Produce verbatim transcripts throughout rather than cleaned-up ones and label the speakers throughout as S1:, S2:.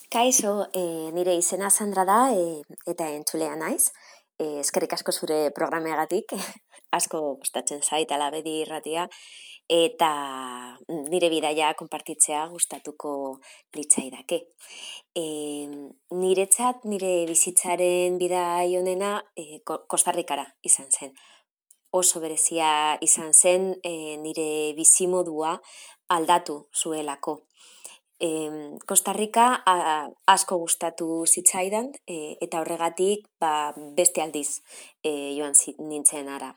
S1: Kaixo, e, nire izena Sandra da e, eta entzulea naiz. E, eskerrik asko zure programeagatik, asko gustatzen zait Alabedi irratia, eta nire bidaia konpartitzea gustatuko litzaidake. E, niretzat nire bizitzaren bidai honena e, Kostarrikara izan zen. Oso berezia izan zen e, nire bizimodua aldatu zuelako. E, Kostarrika asko gustatu zitzaidan e, eta horregatik ba, beste aldiz e, joan nintzen ara.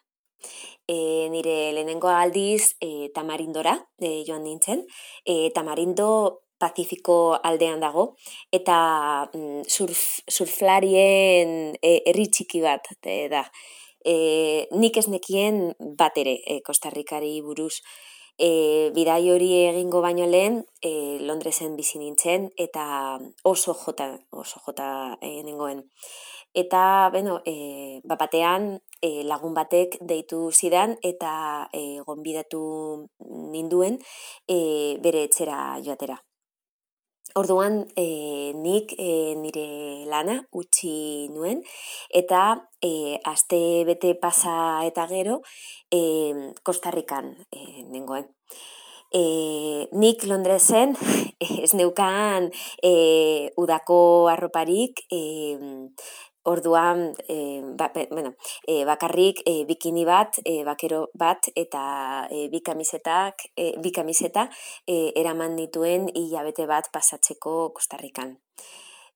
S1: E, nire lehenengo aldiz e, Tamarindora e, joan nintzen. E, Tamarindo Pazifiko aldean dago eta mm, surf, surflarien e, herri txiki bat e, da. E, nik ez nekien bat ere e, Kostarrikari buruz. E, bidai hori egingo baino lehen e, Londresen bizi nintzen eta oso jota, oso jota e, nengoen. Eta, bueno, e, batean e, lagun batek deitu zidan eta e, gonbidatu ninduen e, bere etxera joatera. Orduan, e, nik e, nire lana utzi nuen eta e, aste bete pasa eta gero e, Kostarrikan e, nengoen. E, nik Londresen ez neukan e, udako arroparik, e, orduan e, ba, bueno, e, bakarrik e, bikini bat, e, bakero bat eta e, bi kamisetak, e, bi kamiseta e, eraman dituen hilabete bat pasatzeko Kostarrikan.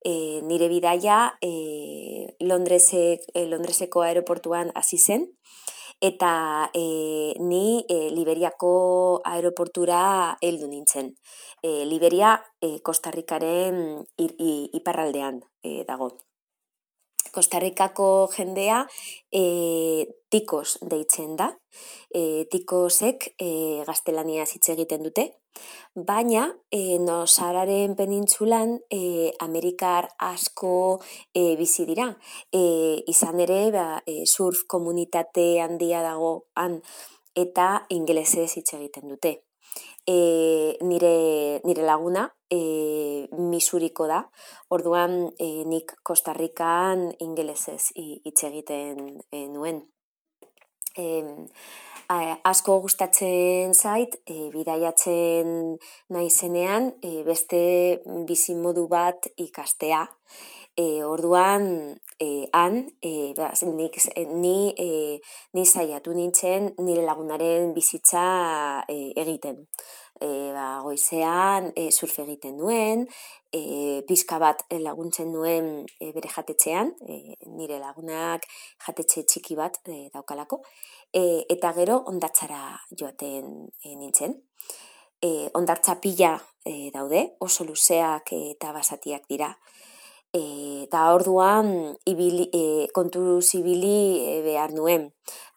S1: E, nire bidaia e, Londresek, e, Londreseko aeroportuan hasi zen eta e, ni e, Liberiako aeroportura heldu nintzen. E, Liberia e, Kostarrikaren ir, i, iparraldean e, dago. Kostarrikako jendea e, tikos deitzen da. E, tikosek e, gaztelania hitz egiten dute, baina e, Nosararen penintzulan e, Amerikar asko e, bizi dira. E, izan ere ba, e, surf komunitate handia dago han eta ingelesez hitz egiten dute. E, nire, nire laguna e, Misuriko da, orduan e, nik Kostarrikan ingelesez hitz egiten e, nuen. E, a, asko gustatzen zait, e, bidaiatzen naizenean e, beste bizimodu bat ikastea. E, orduan e, han, e, ba, nik, ni, e, ni zaiatu nintzen nire lagunaren bizitza e, egiten. E, ba, goizean e, surf egiten nuen, e, pizka bat laguntzen nuen e, bere jatetxean, e, nire lagunak jatetxe txiki bat e, daukalako, e, eta gero hondartzara joaten e, nintzen. E, hondartza pila e, daude, oso luzeak e, eta basatiak dira. Eta orduan ibili, e, kontu zibili e, behar nuen.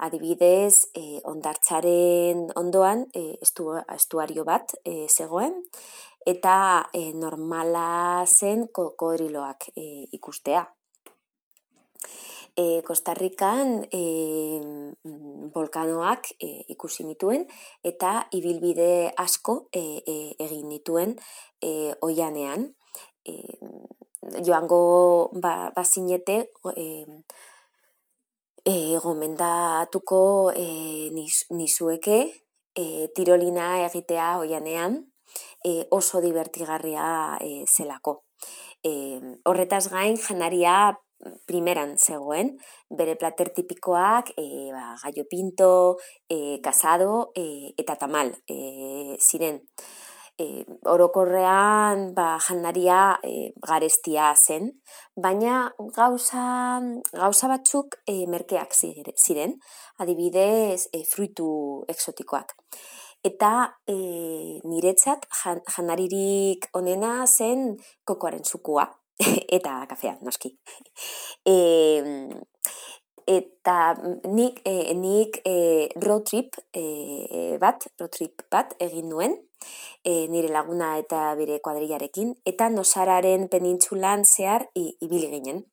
S1: Adibidez, e, hondartzaren ondoan e, estu, estuario bat e, zegoen, eta e, normala zen kokodriloak e, ikustea. E, Kostarrikan e, volkanoak e, ikusi nituen eta ibilbide asko e, e, egin nituen e, oianean. E, joango ba, bazinete e, e, gomendatuko e, niz, nizueke e, tirolina egitea oianean e, oso divertigarria e, zelako. E, horretaz gain janaria primeran zegoen, bere plater tipikoak e, ba, gallo pinto, e, kasado e, eta tamal e, ziren. E, orokorrean ba, jandaria e, garestia zen, baina gauza, gauza batzuk e, merkeak ziren, adibidez e, fruitu exotikoak. Eta e, niretzat jan, jandaririk onena zen kokoaren zukua eta kafea, noski. E, eta nik, e, nik e, road trip e, bat, road trip bat egin nuen, e, nire laguna eta bere kuadrillarekin, eta Nosararen penintzulan zehar ibili ginen.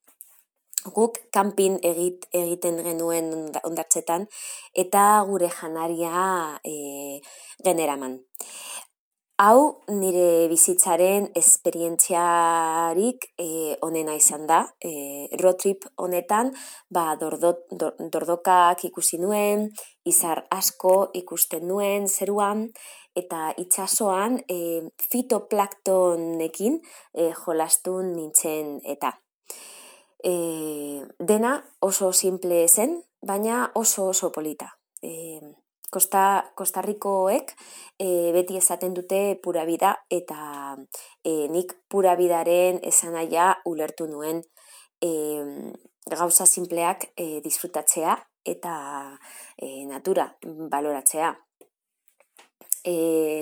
S1: Guk kanpin egit, egiten genuen hondartzetan eta gure janaria e, generaman. Hau nire bizitzaren esperientziarik e, onena izan da. E, road trip honetan ba, dordo, dor, dordokak ikusi nuen, izar asko ikusten nuen zeruan, eta itsasoan e, fitoplaktonekin e, jolastun nintzen eta. E, dena oso simple zen, baina oso oso polita. E, Kosta, Kostarrikoek e, beti esaten dute pura vida, eta e, nik pura bidaren esanaia ulertu nuen e, gauza simpleak e, disfrutatzea eta e, natura baloratzea. E,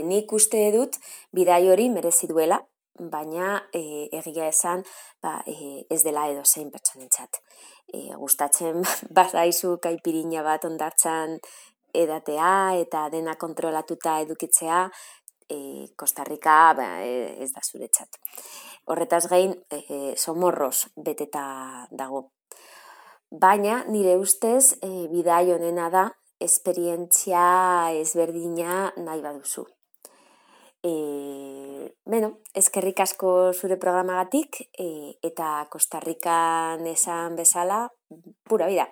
S1: nik uste dut bidai hori merezi duela, baina e, egia esan ba, e, ez dela edozein pertsonentzat. E, gustatzen bazaizu kaipirina bat hondartzan edatea eta dena kontrolatuta edukitzea, e, Kostarrika ba, ez da zuretzat. Horretaz gain, e, somorroz beteta dago. Baina nire ustez e, bidai honena da esperientzia ezberdina nahi baduzu. E, beno, eskerrik asko zure programagatik e, eta Kostarrikan esan bezala, pura vida.